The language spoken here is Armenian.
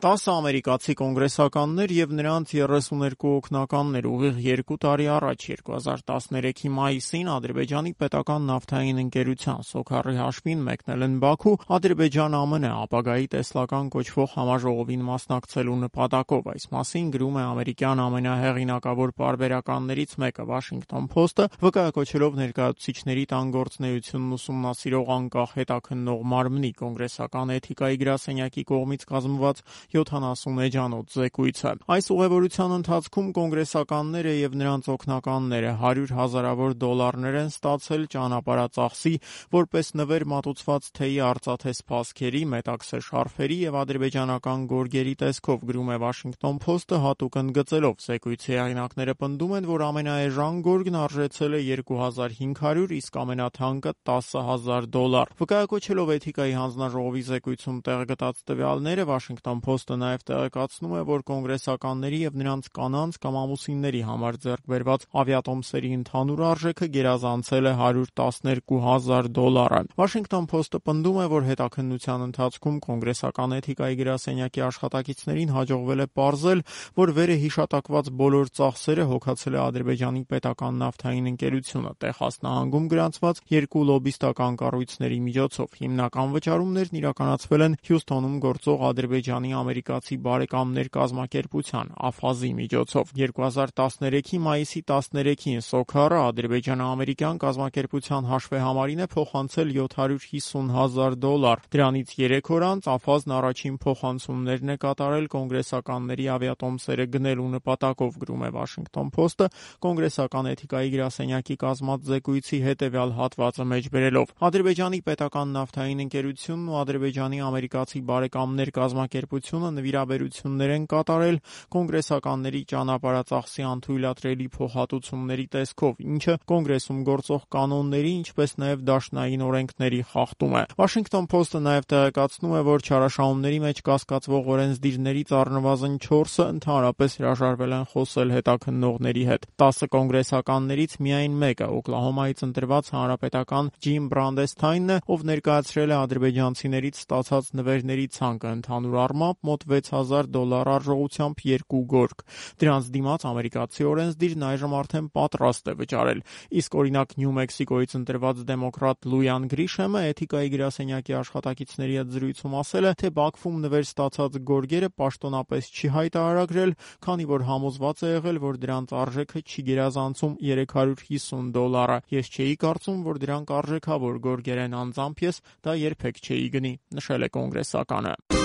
10 ամերիկացի կոնգրեսականներ եւ նրանց 32 օգնականներ ուղիղ 2 տարի առաջ 2013-ի մայիսին Ադրբեջանի պետական նավթային ընկերության Սոքարի հաշվին մեկնել են Բաքու Ադրբեջան-ԱՄՆ ապագայի տեսլական կոչվող համաժողովին մասնակցելու նպատակով։ Այս մասին գրում է ամերիկյան ամենահեղինակավոր պարբերականներից մեկը Washington Post-ը, վկայակոչելով ներկայացուցիչների տան գործունեությունն ուսումնասիրող անկախ հետաքննող մարմնի կոնգրեսական էթիկայի գրասենյակի կողմից կազմված 70 էջանոց զեկույցը։ Այս ուղևորության ընթացքում կոնգրեսականները եւ նրանց օգնականները 100 հազարավոր դոլարներ են ստացել ճանապարհածախսի, որպես նվեր մատուցված թեյի արծաթե սպասքերի, մետաքսե շարֆերի եւ ադրբեջանական գորգերի տեսքով, գրում է Washington Post-ը հատուկ ընդգծելով։ Զեկույցի հեղինակները պնդում են, որ ամենաէժան գորգն արժեցել է $2500, իսկ ամենաթանկը $10,000։ Վկայակոչելով էթիկայի հանձնաժողովի զեկույցում տեղ գտած տվյալները, Washington Post-ը նաև տեղեկացնում է, որ կոնգրեսականների եւ նրանց կանանց կամ ամուսինների համար ձեռք բերված ավիատոմսերի ընդհանուր արժեքը գերազանցել է $112,000։ Washington Post-ը պնդում է, որ հետաքննության ընթացքում կոնգրեսական էթիկայի գրասենյակի աշխատակիցներին հաջողվել է պարզել, որ վերը հիշատակված բոլոր ծախսերը հոգացել է Ադրբեջանի պետական նավթային ընկերությունը Տեխաս նահանգում գրանցված 2 լոբիստական կառույցների միջոցով։ Հիմնական վճարումներն իրականացվել են Հյուսթոնում գործող Ադրբեջանի ամերիկացի բարեկամներ կազմակերպության (ԱՖԱԶ)-ի միջոցով։ 2013-ի մայիսի 13-ին Սոքարը ադրբեջանա-ամերիկյան կազմակերպության հաշվեհամարին է փոխանցել $750,000։ Դրանից 3 օր անց ԱՖԱԶ-ն առաջին փոխանցումներն է կատարել կոնգրեսականների ավիատոմսերը գնելու նպատակով, գրում է Washington Post-ը, կոնգրեսական էթիկայի գրասենյակի կազմած զեկույցի հետևյալ հատվածը մեջ բերելով. Ադրբեջանի պետական նավթային ընկերությունն ու Ադրբեջանի ամերիկացի բարեկամներ կազմակերպությունը նվիրաբերություններ են կատարել կոնգրեսականների ճանապարհածախսի անթույլատրելի փոխհատուցումների տեսքով, ինչը կոնգրեսում գործող կանոնների, ինչպես նաև դաշնային օրենքների խախտում է։ Washington Post-ը նաև տեղեկացնում է, որ չարաշահումների մեջ կասկածվող օրենսդիրներից առնվազն 4-ը ընդհանրապես հրաժարվել են խոսել հետաքննողների հետ։ 10 կոնգրեսականներից միայն մեկը, Օկլահոմայից ընտրված հանրապետական Ջիմ Բրանդեսթայնն է, ով ներկայացրել է ադրբեջանցիներից ստացած նվերների ցանկը, ընդհանուր առմամբ մոտ $6,000 արժողությամբ 2 գորգ։ Դրանց դիմաց ամերիկացի օրենսդիրն այժմ արդեն պատրաստ է վճարել։ Իսկ օրինակ Նյու Մեքսիկոյից ընտրված դեմոկրատ Լույան Գրիշեմը էթիկայի գրասենյակի աշխատակիցների հետ զրույցում ասել է, թե Բաքվում նվեր ստացած գորգերը պաշտոնապես չի հայտարարագրել, քանի որ համոզված է եղել, որ դրանց արժեքը չի գերազանցում $350։ Ես չէի կարծում, որ դրանք արժեքավոր գորգեր են, անձամբ ես դա երբեք չէի գնի, նշել է կոնգրեսականը։